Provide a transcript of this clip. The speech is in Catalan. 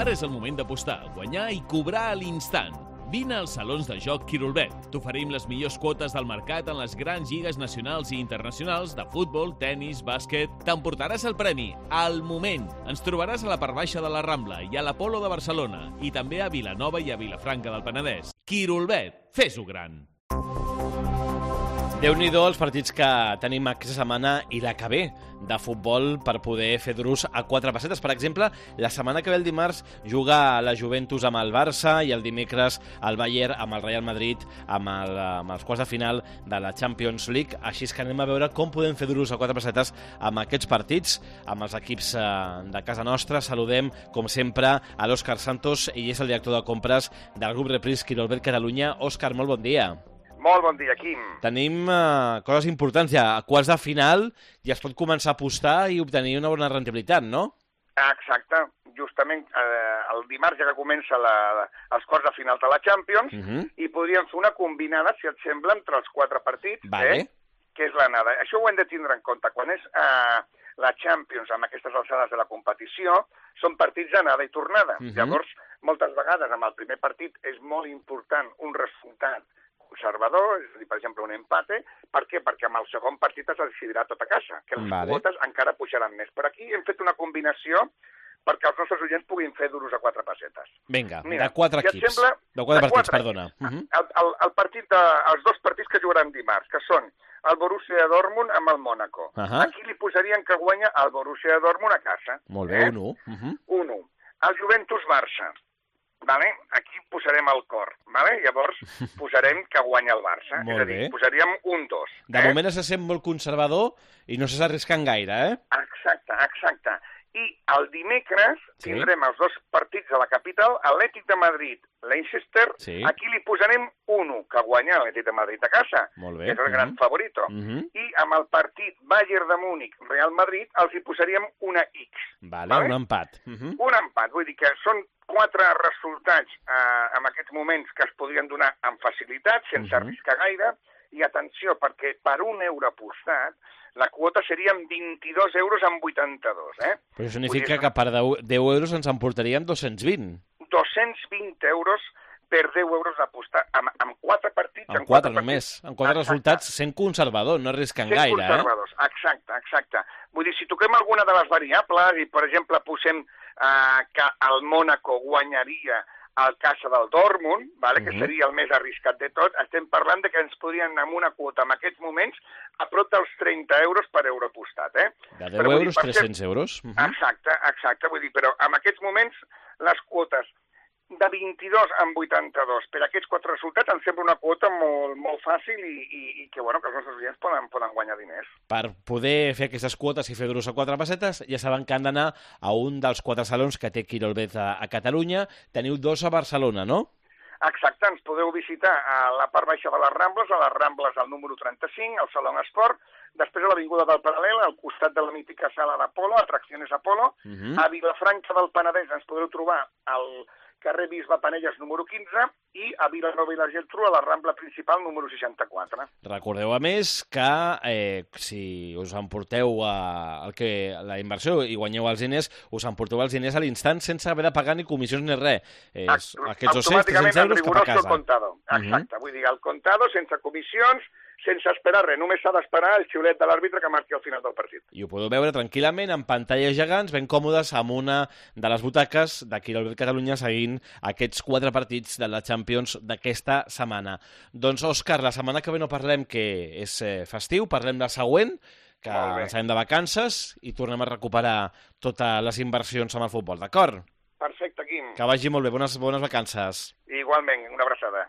Ara és el moment d'apostar, guanyar i cobrar a l'instant. Vine als salons de joc Quirolbet. T'oferim les millors quotes del mercat en les grans lligues nacionals i internacionals de futbol, tennis, bàsquet. T'emportaràs el premi al moment. Ens trobaràs a la part baixa de la Rambla i a l'Apolo de Barcelona i també a Vilanova i a Vilafranca del Penedès. Quirolbet, fes-ho gran. Déu-n'hi-do els partits que tenim aquesta setmana i la que ve de futbol per poder fer drus a quatre pessetes. Per exemple, la setmana que ve el dimarts juga la Juventus amb el Barça i el dimecres el Bayern amb el Real Madrid amb els quarts de final de la Champions League. Així és que anem a veure com podem fer drus a quatre pessetes amb aquests partits, amb els equips de casa nostra. Saludem, com sempre, a l'Òscar Santos, ell és el director de compres del grup Repris Quirolbet Catalunya. Òscar, molt bon dia. Molt bon dia, Quim. Tenim coses importants ja. A quarts de final ja es pot començar a apostar i obtenir una bona rendibilitat, no? Exacte. Justament el dimarts ja que comença els quarts de final de la Champions i podríem fer una combinada, si et sembla, entre els quatre partits, que és l'anada. Això ho hem de tindre en compte. Quan és la Champions, amb aquestes alçades de la competició, són partits d'anada i tornada. Llavors, moltes vegades, amb el primer partit és molt important un resultat conservador, és a dir, per exemple, un empate. Per què? Perquè amb el segon partit es decidirà tot a casa, que les quotes encara pujaran més. Per aquí hem fet una combinació perquè els nostres oients puguin fer duros a quatre pessetes. Vinga, de quatre equips. De quatre partits, perdona. Els dos partits que jugaran dimarts, que són el Borussia Dortmund amb el Mónaco. Aquí li posarien que guanya el Borussia Dortmund a casa. Molt bé, 1-1. 1-1. El Juventus-Barça. Vale? Aquí posarem el cor, vale? Llavors posarem que guanya el Barça, és a dir, posaríem 1-2. De moment se sent molt conservador i no s'està arriscant gaire, Exacte. I el dimecres tindrem els dos partits de la capital, Atlètic de Madrid, Leicester, aquí li posarem 1, que guanya l'Atlètic de Madrid a casa, que és el gran favorito. I amb el partit Bayern de Múnich, Real Madrid, els hi posaríem una X. Vale, un empat. Un empat, vull dir que són 4 resultats en aquests moments que es podrien donar amb facilitat, sense arriscar gaire, i atenció, perquè per €1 apostat, la quota serien 22 euros amb 82, Però això significa que per 10 euros ens emportaríem 220. 220 euros per 10 euros d'apostar, amb 4 partits... Amb 4 només, amb 4 resultats, sent conservador, no arriscant gaire, Sent conservadors, exacte. Vull dir, si toquem alguna de les variables i, per exemple, posem que el Mónaco guanyaria al casa del Dortmund, que seria el més arriscat de tot, estem parlant de que ens podrien anar amb una quota en aquests moments a prop dels 30 euros per euro apostat. De 10 euros, 300 euros. Exacte, vull dir, però en aquests moments les quotes de 22 amb 82 per aquests 4 resultats em sembla una quota molt fàcil i que els nostres clients poden guanyar diners. Per poder fer aquestes quotes i fer duros a 4 pessetes, ja saben que han d'anar a un dels 4 salons que té Quirolbet a Catalunya. Teniu 2 a Barcelona, no? Exacte, ens podeu visitar a la part baixa de les Rambles, a les Rambles al número 35, al Saló Esport, després a l'Avinguda del Paral·lel, al costat de la mítica sala d'Apolo, Atracciones Apolo, a Vilafranca del Penedès ens podeu trobar al carrer Bisbe Panelles número 15 i a Vilanova i la Geltrú a la Rambla principal número 64. Recordeu, a més, que si us emporteu la inversió i guanyeu els diners, us emporteu els diners a l'instant sense haver de pagar ni comissions ni res. Aquests 200-300 euros cap a casa. Exacte, vull dir, el contado, sense comissions, sense esperar res, només s'ha d'esperar el xiulet de l'àrbitre que marqui al final del partit. I ho podeu veure tranquil·lament en pantalles gegants, ben còmodes, amb una de les butaques de Quirolbet Catalunya seguint aquests 4 partits de la Champions d'aquesta setmana. Doncs, Òscar, la setmana que ve no parlem, que és festiu, parlem del següent, que ens anem de vacances i tornem a recuperar totes les inversions amb el futbol, d'acord? Perfecte, Quim. Que vagi molt bé, bones vacances. Igualment, una abraçada.